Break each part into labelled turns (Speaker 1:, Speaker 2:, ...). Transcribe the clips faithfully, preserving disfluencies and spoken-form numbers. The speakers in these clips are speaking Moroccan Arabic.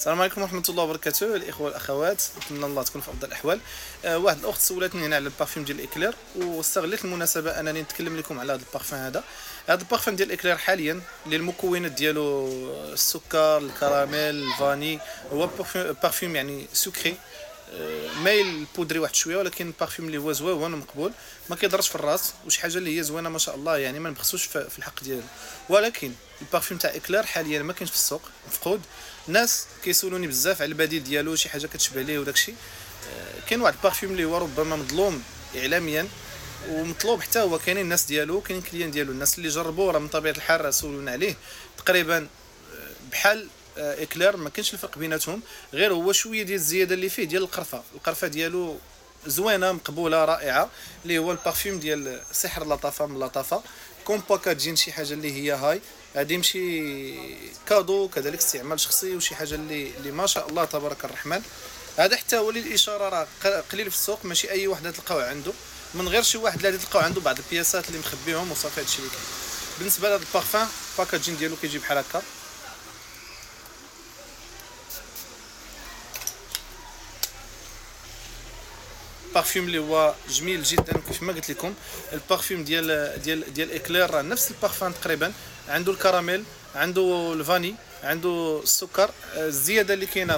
Speaker 1: السلام عليكم ورحمة الله وبركاته الاخوة والاخوات، نتمنى الله تكون في افضل الاحوال. أه واحد الاخت سولتني هنا على البارفيوم ديال الاكلير، واستغليت المناسبة انني نتكلم لكم على هذا البارفان هذا. هذا البارفان ديال الاكلير حاليا اللي المكونات ديالو السكر، الكراميل، ال vanille، هو بارفيوم يعني sucré، مايل poudré واحد شوية، ولكن بارفيوم اللي هو زوين ومقبول، ما كيضرش في الراس، وشي حاجة اللي هي زوينة ما شاء الله، يعني ما نبخسوش في الحق ديالو. ولكن البارفيوم تاع اكلير حاليا ما كاينش في السوق، مفقود. الناس كيسولوني بزاف على البديل ديالو، شي حاجة كتشبه ليه وداكشي. كاين واحد البارفيوم اللي هو ربما مظلوم اعلاميا ومطلوب حتى هو، كاينين الناس ديالو، كاينين clients ديالو، الناس اللي جربوه راه من طبيعة الحال سولونا عليه. تقريبا بحال اكلير، ما كاينش الفرق بيناتهم، غير هو شوية ديال الزيادة اللي فيه ديال القرفه. القرفه ديالو زوينة مقبولة رائعة، اللي هو البارفيوم ديال سحر لطافة من لطافة comme packaging، شي حاجة اللي هي هاي هذه ماشي cadeau، كذلك استعمال شخصي، وشي حاجة اللي اللي ما شاء الله تبارك الرحمن. هذا حتى هو للاشارة راه قليل في السوق، ماشي اي واحد تلقاوه عنده، من غير شي واحد اللي تلقاو عنده بعض البياسات اللي مخبيهم وصافي. هادشي اللي كاين بالنسبة لهذا ال parfum. packaging ديالو كيجي بحال هكا، بارفيوم اللي هو جميل جدا. كيف ما قلت لكم البارفيوم ديال ديال ديال اكلير راه نفس البارفان تقريبا، عنده الكراميل، عنده ال vanille، عنده السكر. الزيادة اللي كاينه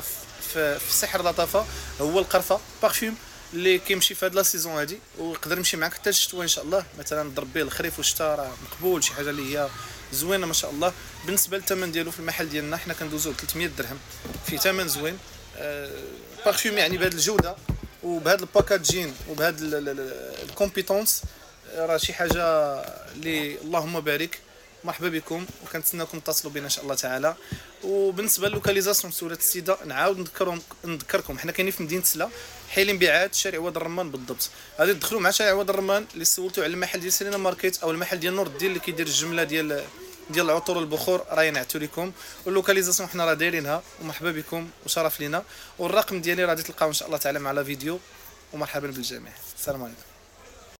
Speaker 1: في, في سحر لطافة هو القرفه. بارفيوم اللي كيمشي في هاد la saison هادي، ويقدر يمشي معاك حتى الشتوى ان شاء الله، مثلا ضرب به الخريف والشتاء راه مقبول، شي حاجة اللي هي زوينة ما شاء الله. بالنسبة للثمن ديالو في المحل ديالنا حنا كندوزو ب ثلاثمية درهم، في ثمن زوين. بارفيوم يعني بهاد الجودة وبهذا ال packaging وبهذا ال compétence، راه شي حاجة اللي اللهم بارك. مرحبا بكم وكنتسناكم تتصلوا بنا ان شاء الله تعالى. وبالنسبة لل localisation سولات السيدة، نعاود نذكرهم نذكركم حنا كاينين في مدينة سلا، حي الانبعاث، شارع واد الرمان بالضبط. غادي تدخلوا مع شارع واد الرمان اللي سولتوا على المحل ديال سيرينا ماركيت او المحل ديال نور الدين اللي كيدير الجملة ديال ديال العطور والبخور، راه ينعتوا لكم. وال localisation حنا راه دايرينها، ومرحبا بكم وشرف لينا. والرقم ديالي راه غادي تلقاو ان شاء الله تعالى مع la vidéo، ومرحبا بالجميع. السلام عليكم.